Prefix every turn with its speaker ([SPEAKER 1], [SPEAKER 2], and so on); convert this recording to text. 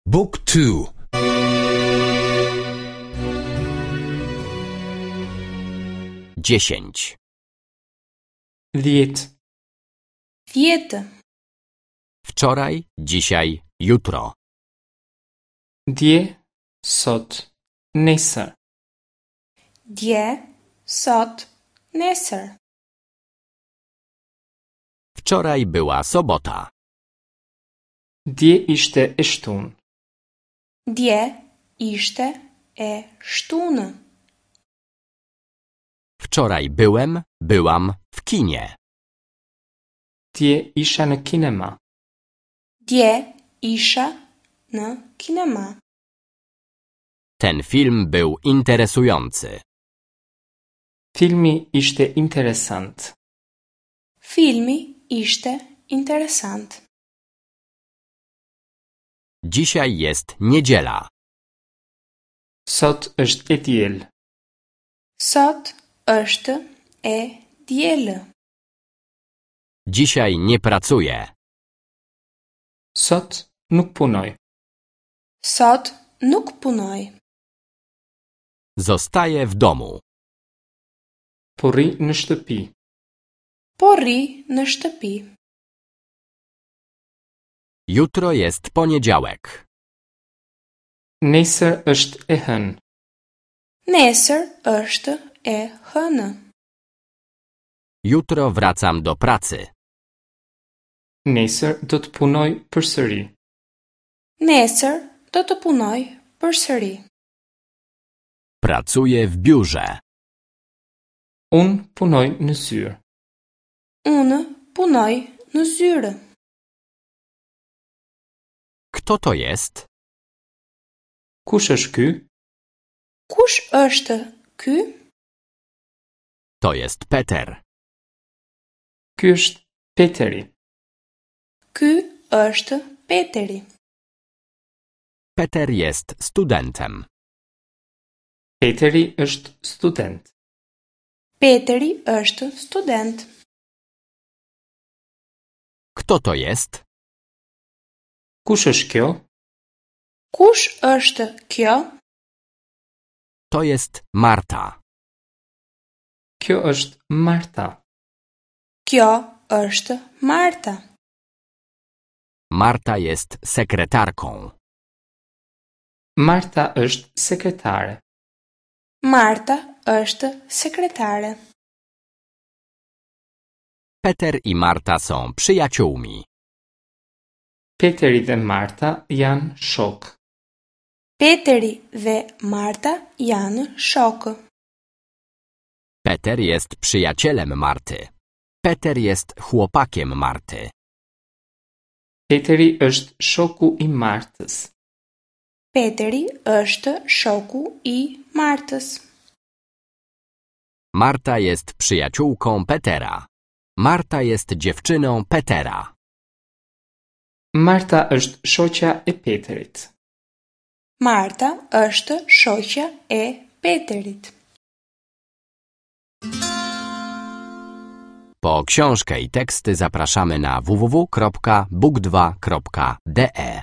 [SPEAKER 1] Book 2
[SPEAKER 2] Dziesięć.
[SPEAKER 3] 10.
[SPEAKER 4] 10.
[SPEAKER 2] Wczoraj, dzisiaj, jutro.
[SPEAKER 3] Dje, sot, nesër.
[SPEAKER 4] Dje, sot, nesër.
[SPEAKER 2] Wczoraj była sobota.
[SPEAKER 3] Dje ishte e shtunë.
[SPEAKER 4] Dje ishte e shtunë.
[SPEAKER 2] Wczoraj byłem, byłam w kinie.
[SPEAKER 3] Dje isha në kinema.
[SPEAKER 4] Dje isha në kinema.
[SPEAKER 2] Ten film był interesujący.
[SPEAKER 3] Filmi ishte interesant.
[SPEAKER 4] Filmi ishte interesant.
[SPEAKER 2] Dzisiaj jest niedziela.
[SPEAKER 3] Sot është e diel.
[SPEAKER 4] Sot është e dielë.
[SPEAKER 2] Dzisiaj nie pracuję.
[SPEAKER 3] Sot nuk punoj.
[SPEAKER 4] Sot nuk punoj.
[SPEAKER 2] Zostaję w domu.
[SPEAKER 3] Po rri në shtëpi.
[SPEAKER 4] Po rri në shtëpi.
[SPEAKER 2] Jutro jest poniedziałek.
[SPEAKER 3] Nesër është e hënë.
[SPEAKER 4] Nesër është e hënë.
[SPEAKER 2] Jutro wracam do pracy.
[SPEAKER 3] Nesër do të punoj përsëri.
[SPEAKER 4] Nesër do të punoj përsëri.
[SPEAKER 2] Pracuję w biurze.
[SPEAKER 3] Unë punoj në zyrë.
[SPEAKER 4] Unë punoj në zyrë.
[SPEAKER 2] Kto to jest?
[SPEAKER 3] Kush është ky?
[SPEAKER 4] Kush është ky?
[SPEAKER 2] To jest Peter.
[SPEAKER 3] Ky është Peteri.
[SPEAKER 4] Ky është Peteri.
[SPEAKER 2] Peter jest studentem.
[SPEAKER 3] Peteri është student.
[SPEAKER 4] Peteri është student.
[SPEAKER 2] Kto to jest?
[SPEAKER 3] Kush është kjo?
[SPEAKER 4] Kush është kjo?
[SPEAKER 2] To jest Marta.
[SPEAKER 3] Kjo është Marta.
[SPEAKER 4] Kjo është Marta.
[SPEAKER 2] Marta jest sekretarką.
[SPEAKER 3] Marta është sekretare.
[SPEAKER 4] Marta është sekretare.
[SPEAKER 2] Peter i Marta są przyjaciółmi.
[SPEAKER 3] Peteri dhe Marta janë shok.
[SPEAKER 4] Peteri dhe Marta janë shokë.
[SPEAKER 2] Peter jest przyjacielem Marty. Peter jest chłopakiem Marty.
[SPEAKER 3] Peteri është shoku i Martës.
[SPEAKER 4] Peteri është shoku i Martës.
[SPEAKER 2] Marta jest przyjaciółką Petera. Marta jest dziewczyną Petera.
[SPEAKER 3] Marta është shoqja e Peterit.
[SPEAKER 4] Marta është shoqja e Peterit.
[SPEAKER 2] Po książkę i teksty zapraszamy na www.book2.de.